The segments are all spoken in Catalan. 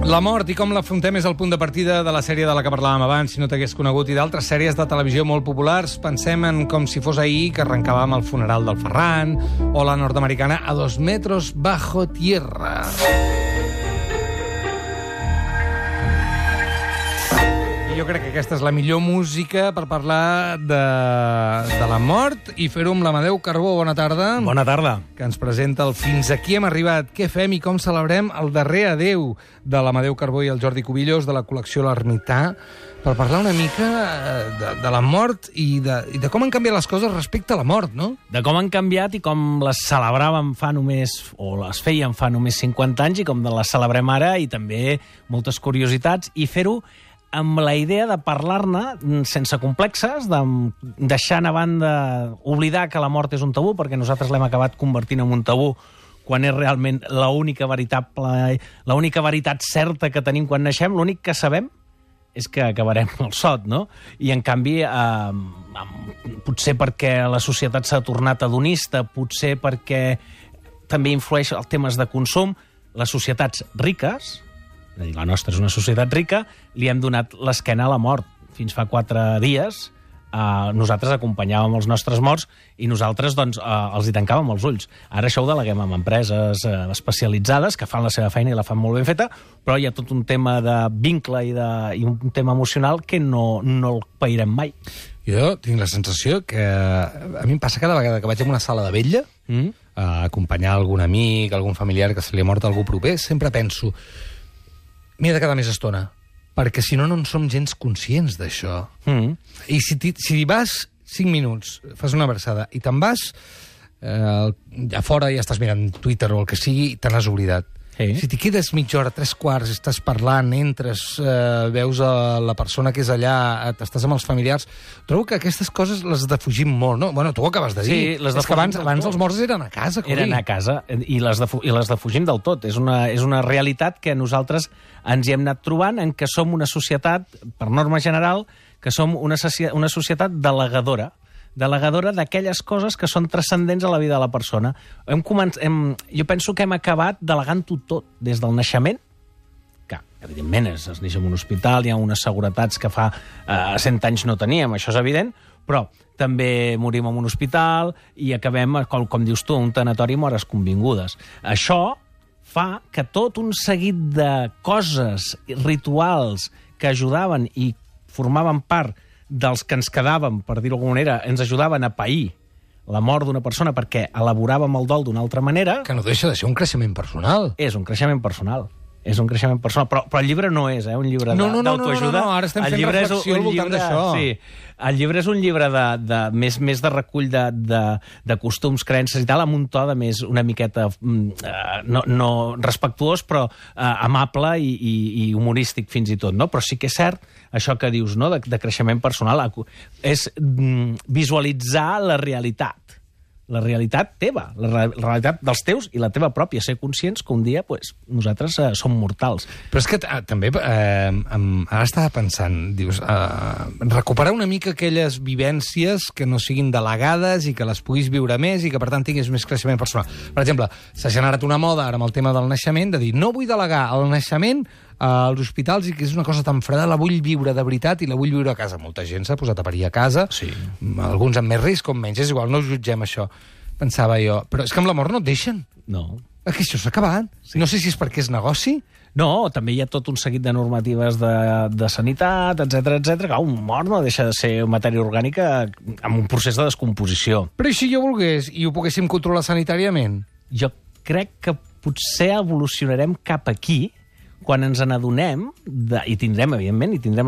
La mort i com l'afrontem és el punt de partida de la sèrie de la que parlàvem abans, si no t'hagués conegut, i d'altres sèries de televisió molt populars. Pensem en Com si fos ahir, que arrencàvem el funeral del Ferran, o la nord-americana A 2 metros bajo tierra. Jo crec que aquesta és la millor música per parlar de la mort i fer-ho amb l'Amadeu Carbó. Bona tarda. Bona tarda. Que ens presenta el Fins aquí hem arribat. Què fem i com celebrem el darrer adeu de l'Amadeu Carbó i el Jordi Cubillos de la col·lecció L'Ermità, per parlar una mica de la mort i de com han canviat les coses respecte a la mort, no? De com han canviat i com les celebràvem fa només, o les fèiem fa només 50 anys, i com les celebrem ara, i també moltes curiositats, i fer-ho amb la idea de parlar-ne sense complexes, de deixar a banda, oblidar que la mort és un tabú, perquè nosaltres l'hem acabat convertint en un tabú quan és realment l'única veritat certa que tenim quan naixem. L'únic que sabem és que acabarem al sot, no? I, en canvi, potser perquè la societat s'ha tornat hedonista, potser perquè també influeix els temes de consum, les societats riques, és a dir, la nostra és una societat rica, li hem donat l'esquena a la mort. Fins fa 4 dies nosaltres acompanyàvem els nostres morts i nosaltres doncs, els hi tancàvem els ulls. Ara això ho deleguem amb empreses especialitzades que fan la seva feina i la fan molt ben feta, però hi ha tot un tema de vincle i un tema emocional que no el pairem mai. Jo tinc la sensació que a mi em passa cada vegada que vaig a una sala de vetlla a acompanyar algun amic, algun familiar que se li ha mort algú proper, sempre penso m'he de quedar més estona, perquè si no, no en som gens conscients d'això. I si vas 5 minuts, fas una abraçada, i te'n vas, a fora ja estàs mirant Twitter o el que sigui, i te n'has oblidat. Sí. Si t'hi quedes mitja hora, 3/4, estàs parlant, entres, veus la persona que és allà, estàs amb els familiars, trobo que aquestes coses les defugim molt, no? Bueno, tu ho acabes de dir. Sí, és que abans els morts eren a casa. Eren a casa, i les defugim del tot. És una realitat que nosaltres ens hi hem anat trobant, en què som una societat, per norma general, que som una societat delegadora d'aquelles coses que són transcendents a la vida de la persona. Jo penso que hem acabat delegant-ho tot, des del naixement, que evidentment es neix en un hospital, hi ha unes seguretats que fa 100 anys no teníem, això és evident, però també morim en un hospital i acabem, com dius tu, un tanatori amb hores convingudes. Això fa que tot un seguit de coses, rituals, que ajudaven i formaven part dels que ens quedàvem, per dir-ho d'alguna manera, ens ajudaven a pair la mort d'una persona perquè elaboràvem el dol d'una altra manera. Que no deixa de ser un creixement personal. És un creixement personal. Però el llibre no és un llibre d'autoajuda. No, ara estem fent reflexió al voltant d'això. Sí, el llibre és un llibre més de recull de costums, creences i tal, amb un to de més una miqueta no respectuós, però amable i humorístic fins i tot, no? Però sí que és cert això que dius, no?, de creixement personal, és visualitzar la realitat teva, la realitat dels teus i la teva pròpia, ser conscients que un dia nosaltres som mortals. Però és que també ara estava pensant, dius, recuperar una mica aquelles vivències que no siguin delegades i que les puguis viure més i que per tant tinguis més creixement personal. Per exemple, s'ha generat una moda ara amb el tema del naixement de dir no vull delegar el naixement als hospitals i que és una cosa tan freda, la vull viure de veritat i la vull viure a casa. Molta gent s'ha posat a parir a casa, sí. Alguns amb més risc, com menys, és igual, no ho jutgem això. Pensava jo, però és que amb la mort no et deixen. No. Aquí això s'ha acabat. Sí. No sé si és perquè és negoci. No, també hi ha tot un seguit de normatives de sanitat, etc. Que un mort no deixa de ser matèria orgànica amb un procés de descomposició. Però i si jo volgués i ho poguéssim controlar sanitàriament? Jo crec que potser evolucionarem cap aquí, quan ens n'adonem, i tindrem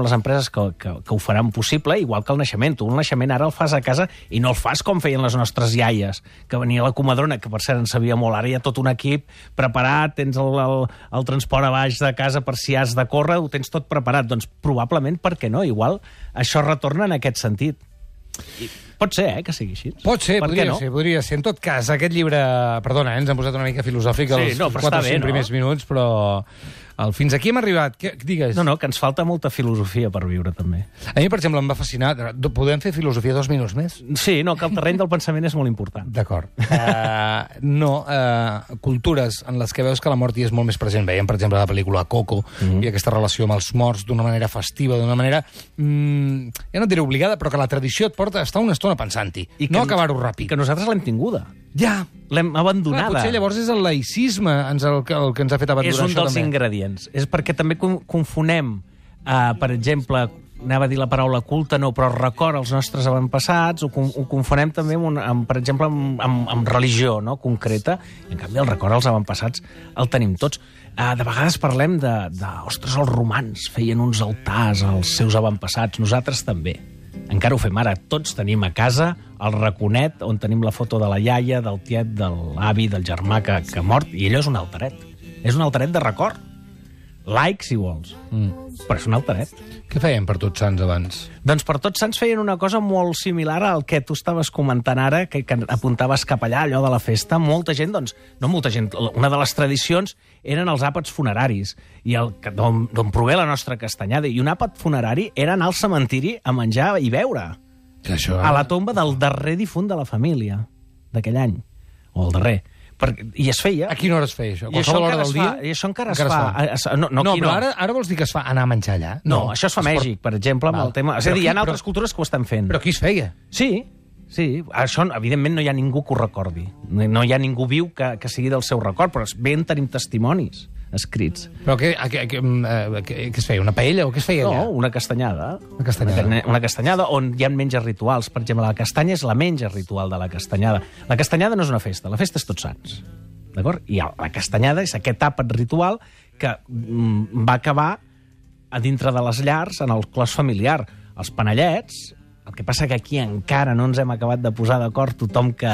les empreses que ho faran possible, igual que el naixement. Tu el naixement ara el fas a casa i no el fas com feien les nostres iaies, que venia la comadrona, que per cert en sabia molt. Ara hi ha tot un equip preparat, tens el transport a baix de casa per si has de córrer, ho tens tot preparat. Doncs probablement, per què no? Igual això retorna en aquest sentit. Pot ser, que sigui així. Pot ser, Per què no? podria ser. En tot cas, aquest llibre... Perdona, ens hem posat una mica filosòfic els 4 o 5 primers minuts, però fins aquí hem arribat. Digues. No, que ens falta molta filosofia per viure, també. A mi, per exemple, em va fascinar... Podem fer filosofia 2 minuts més? Sí, que el terreny del pensament és molt important. D'acord. Cultures en les que veus que la mort hi és molt més present. Veiem, per exemple, la pel·lícula Coco, i aquesta relació amb els morts d'una manera festiva, d'una manera... ja no et diré obligada, però que la tradició et porta a estar una estona pensant-hi, no acabar-ho ràpid. I que nosaltres l'hem tinguda. Ja. L'hem abandonada. Clar, potser llavors és el laïcisme el que ens ha fet abandonar això també. És un dels ingredients. És perquè també confonem, per exemple, anava a dir la paraula culte, no, però record als nostres avantpassats, ho confonem també, per exemple, amb religió, no?, concreta. En canvi, el record als avantpassats el tenim tots. De vegades parlem ostres, els romans feien uns altars als seus avantpassats, nosaltres també. Encara ho fem ara. Tots tenim a casa el raconet on tenim la foto de la iaia, del tiet, de l'avi, del germà que ha mort, i allò és un altaret. És un altaret de record. Laic, si vols. Però és un altaret. Què feien per Tots Sants abans? Doncs per Tots Sants feien una cosa molt similar al que tu estaves comentant ara, que apuntaves cap allà, allò de la festa. Molta gent, doncs, no molta gent, una de les tradicions eren els àpats funeraris, i d'on prové la nostra castanyada. I un àpat funerari era anar al cementiri a menjar i beure. A la tomba del darrer difunt de la família, d'aquell any. O el darrer. I es feia. A quina hora es feia això? A qualsevol hora del dia? I això encara es fa. No, però ara vols dir que es fa anar a menjar allà? No, això es fa a Mèxic, per exemple, amb el tema... És a dir, hi ha altres cultures que ho estan fent. Però qui es feia? Sí. Això, evidentment, no hi ha ningú que ho recordi. No hi ha ningú viu que sigui del seu record, però ben tenim testimonis escrits. Però què es feia? Una paella o què es feia allà? No, una castanyada. Una castanyada on hi ha menges rituals. Per exemple, la castanya és la menja ritual de la castanyada. La castanyada no és una festa, la festa és Tots Sants. D'acord? I la castanyada és aquest àpat ritual que va acabar a dintre de les llars en el clos familiar. Els panellets, el que passa que aquí encara no ens hem acabat de posar d'acord tothom que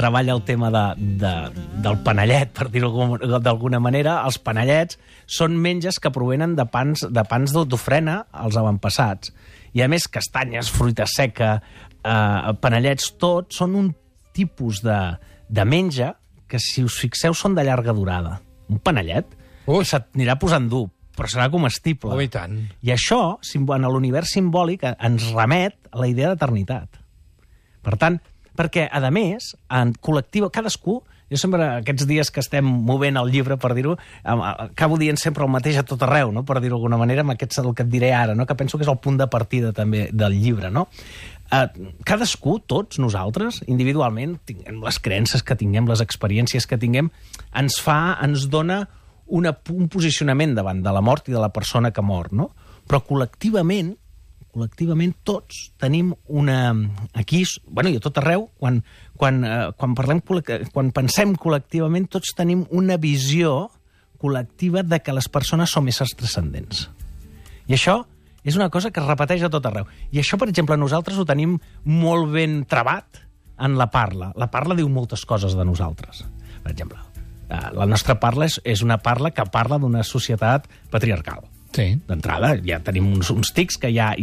treballa el tema del panellet, per dir-ho d'alguna manera. Els panellets són menges que provenen de pans d'ofrena als avantpassats. I a més, castanyes, fruita seca, panellets, tot són un tipus de menja que, si us fixeu, són de llarga durada. Un panellet s'anirà posant dur, però serà comestible. Oh, i tant. I això, en l'univers simbòlic, ens remet a la idea d'eternitat. Per tant, perquè, a més, en col·lectiu, cadascú, jo sempre, aquests dies que estem movent el llibre, per dir-ho, acabo dient sempre el mateix a tot arreu, no?, per dir-ho d'alguna manera, amb aquest el que et diré ara, no?, que penso que és el punt de partida també del llibre, no? Cadascú, tots nosaltres, individualment, tinguem les creences que tinguem, les experiències que tinguem, ens dona un posicionament davant de la mort i de la persona que mor, no? Però col·lectivament tots tenim una... Aquí, i a tot arreu, quan pensem col·lectivament, tots tenim una visió col·lectiva de que les persones són éssers transcendents. I això és una cosa que es repeteix a tot arreu. I això, per exemple, nosaltres ho tenim molt ben travat en la parla. La parla diu moltes coses de nosaltres. Per exemple, la nostra parla és una parla que parla d'una societat patriarcal. Sí. D'entrada, ja tenim uns tics que ja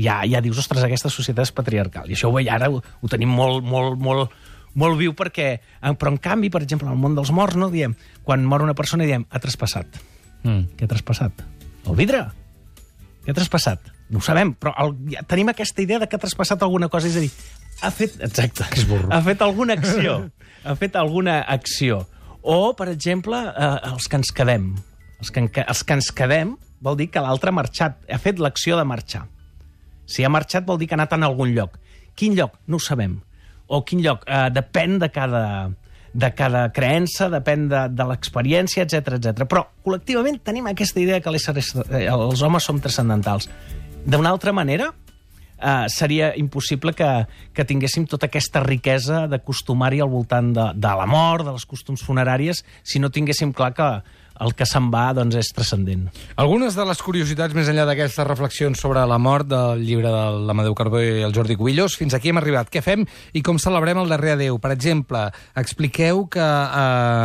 dius, ostres, aquesta societat és patriarcal. I això ara ho tenim molt viu perquè... Però, en canvi, per exemple, en el món dels morts, no diem, quan mor una persona, diem, ha traspassat. Què ha traspassat? El vidre? Què ha traspassat? No ho sabem, però tenim aquesta idea de que ha traspassat alguna cosa, és a dir, ha fet... Exacte. Que és burro. Ha fet alguna acció. Ha fet alguna acció. O, per exemple, els que ens quedem. Els que ens quedem vol dir que l'altre ha marxat, ha fet l'acció de marxar. Si ha marxat vol dir que ha anat a algun lloc. Quin lloc? No ho sabem. O quin lloc? Depèn de cada creença, depèn de l'experiència, etc. Però col·lectivament tenim aquesta idea que els homes som transcendentals. D'una altra manera, seria impossible que tinguéssim tota aquesta riquesa de costumari al voltant de la mort, de les costums funeràries, si no tinguéssim clar que el que se'n va doncs, és transcendent. Algunes de les curiositats més enllà d'aquestes reflexions sobre la mort del llibre de l'Amadeu Carbó i el Jordi Cubillos, fins aquí hem arribat. Què fem i com celebrem el darrer adéu? Per exemple, expliqueu que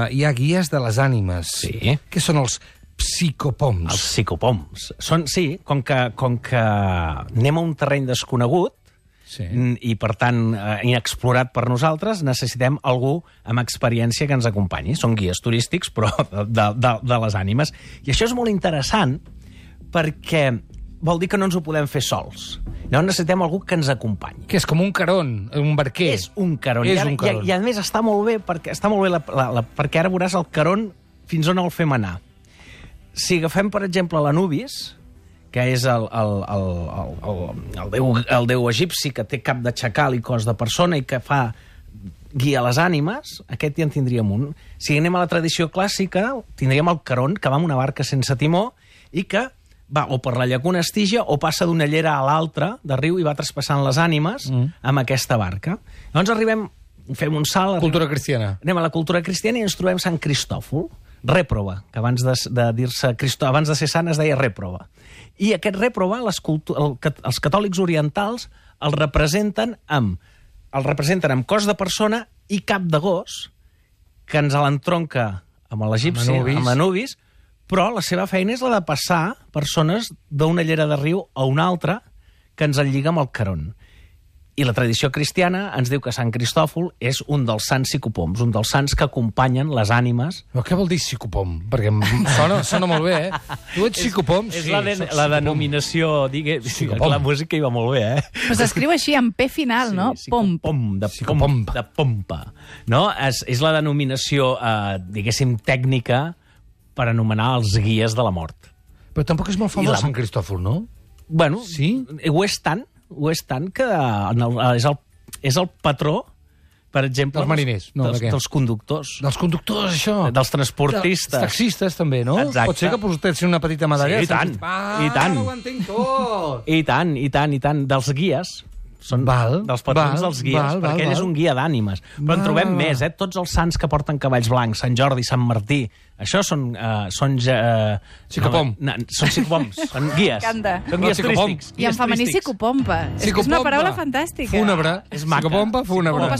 hi ha guies de les ànimes. Sí. Què són els psicopoms? Els psicopoms. Sí, com que anem a un terreny desconegut, Sí. I, per tant, inexplorat per nosaltres, necessitem algú amb experiència que ens acompanyi. Són guies turístics, però de les ànimes. I això és molt interessant perquè vol dir que no ens ho podem fer sols. Llavors necessitem algú que ens acompanyi. Que és com un caron, un barquer. És un caron. És un caron. I a més està molt bé perquè ara veuràs el caron fins on el fem anar. Si agafem, per exemple, l'Anubis, que és el déu egipci que té cap de xacal i cos de persona i que fa guia les ànimes, aquest ja en tindríem un. Si anem a la tradició clàssica, tindríem el caron, que va amb una barca sense timó i que va o per la llacuna Estígia o passa d'una llera a l'altra de riu i va traspassant les ànimes amb aquesta barca. Llavors fem un salt... Cultura cristiana. Anem a la cultura cristiana i ens trobem Sant Cristòfol, rèprova, que abans de ser sant es deia rèprova. I aquest rèprova, els catòlics orientals el representen amb cos de persona i cap de gos, que ens l'entronca amb l'egipci, amb Anubis, però la seva feina és la de passar persones d'una llera de riu a una altra que ens enlliga amb el caron. I la tradició cristiana ens diu que Sant Cristòfol és un dels sants psicopoms, un dels sants que acompanyen les ànimes. Però què vol dir psicopom? Perquè sona molt bé, Tu ets psicopom? És la denominació, la música hi va molt bé, Però s'escriu així, amb P final, no? Pom. De pompa. No? És la denominació, diguéssim, tècnica per anomenar els guies de la mort. Però tampoc és molt famós Sant Cristòfol, no? Bueno, sí? Ho és tant que és el patró, per exemple... Dels mariners, no, de què? Dels conductors. Dels conductors, això. Dels transportistes. Dels taxistes, també, no? Exacte. Pot ser que portessin una petita medalla. Sí, i tant. I tant. Ho entenc tot. I tant. Dels guies. Són dels patrons dels guies, perquè ell és un guia d'ànimes. Però en trobem més, Tots els sants que porten cavalls blancs, Sant Jordi, Sant Martí, això són psicopom. Són psicopoms, són guies. Són guies turístics. I en femení psicopompa. És una paraula fantàstica. Fúnebre. És maca. Psicopompa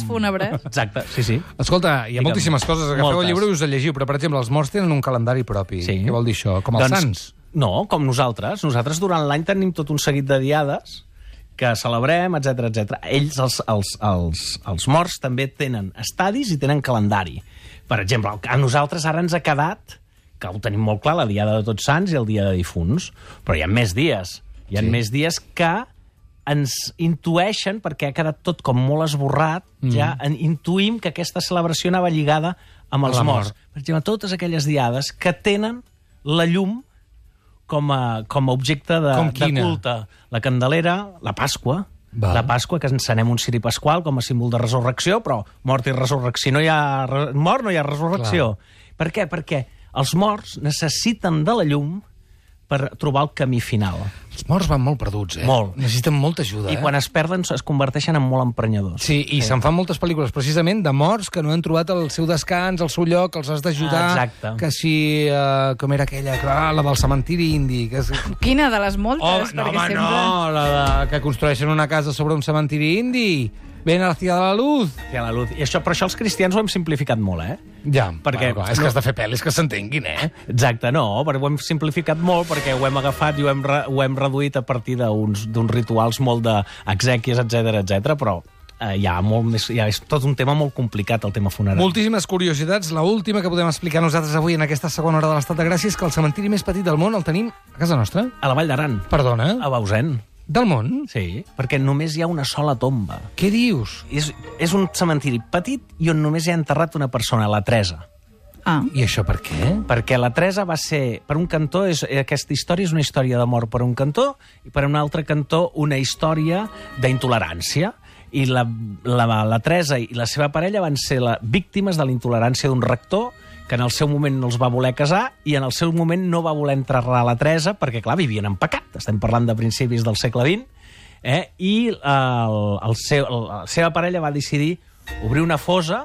fúnebre. Exacte, sí. Escolta, hi ha moltíssimes coses. Agafeu el llibre i us el llegiu, però, per exemple, els morts tenen un calendari propi. Què vol dir això? Com els sants? No, com nosaltres. Nosaltres durant l'any tenim tot un seguit de diades que celebrem, etc. Ells, els morts, també tenen estadis i tenen calendari. Per exemple, a nosaltres ara ens ha quedat, que ho tenim molt clar, la Diada de Tots Sants i el Dia de Difunts, però hi ha més dies. Hi ha més dies que ens intueixen, perquè ha quedat tot com molt esborrat, ja intuïm que aquesta celebració anava lligada amb els morts. Per exemple, totes aquelles diades que tenen la llum com a objecte de culte. La Candelera, la Pasqua, que encenem un ciri pasqual com a símbol de resurrecció, però mort i resurrecció. Si no hi ha mort, no hi ha resurrecció. Per què? Perquè els morts necessiten de la llum per trobar el camí final. Els morts van molt perduts, Molt. Necessiten molta ajuda, I quan es perden es converteixen en molt emprenyadors. Sí, i se'n fan moltes pel·lícules, precisament, de morts que no han trobat el seu descans, el seu lloc, els has d'ajudar. Exacte. Que si... com era aquella? La del cementiri indi. Quina de les moltes? La que construeixen una casa sobre un cementiri indi. Ven hacia la luz. Hacia la luz. Però això els cristians ho hem simplificat molt, Ja, perquè és que has de fer pel·lis que s'entenguin, Exacte, no, però ho hem simplificat molt perquè ho hem agafat i ho hem reduït a partir d'uns rituals molt d'exèquies, etc, però hi ha és tot un tema molt complicat, el tema funerari. Moltíssimes curiositats. L'última que podem explicar nosaltres avui en aquesta segona hora de l'Estat de Gràcia és que el cementiri més petit del món el tenim a casa nostra. A la Vall d'Aran. Perdona? A Bausen. Del món? Sí, perquè només hi ha una sola tomba. Què dius? És un cementiri petit i on només hi ha enterrat una persona, la Teresa. I això per què? Perquè la Teresa va ser, per un cantó, aquesta història és una història d'amor per un cantó, i per un altre cantó una història d'intolerància. I la Teresa i la seva parella van ser víctimes de la intolerància d'un rector que en el seu moment no els va voler casar i en el seu moment no va voler enterrar la Teresa perquè, clar, vivien en pecat. Estem parlant de principis del segle XX. I la seva parella va decidir obrir una fosa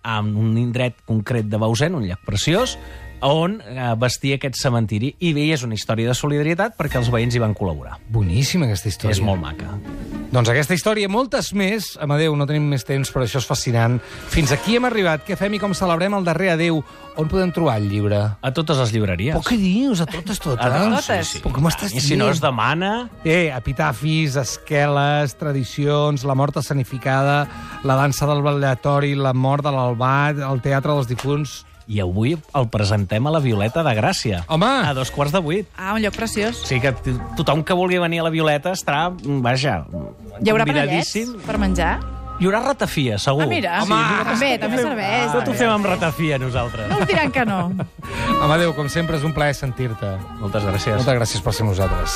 en un indret concret de Bausen, un llac preciós, on vestia aquest cementiri. I bé, és una història de solidaritat perquè els veïns hi van col·laborar. Boníssima, aquesta història. És molt maca. Doncs aquesta història, moltes més. Amadeu, no tenim més temps, però això és fascinant. Fins aquí hem arribat. Què fem i com celebrem el darrer adeu? On podem trobar el llibre? A totes les llibreries. Però què dius? A totes? totes. Però com estàs I si no es demana... epitafis, esqueles, tradicions, la mort escenificada, la dansa del ballatori, la mort de l'Albat, el teatre dels difunts... I avui el presentem a la Violeta de Gràcia. Home! A 2:15. Ah, un lloc preciós. O sigui que tothom que vulgui venir a la Violeta estarà, vaja, Hi haurà panellets convidadíssim. per menjar? Hi haurà ratafia, segur. Ah, mira, Home, també serveix. Tot ho fem amb ratafia, nosaltres. No us diran que no. Amadeu, com sempre, és un plaer sentir-te. Moltes gràcies. Moltes gràcies per ser nosaltres.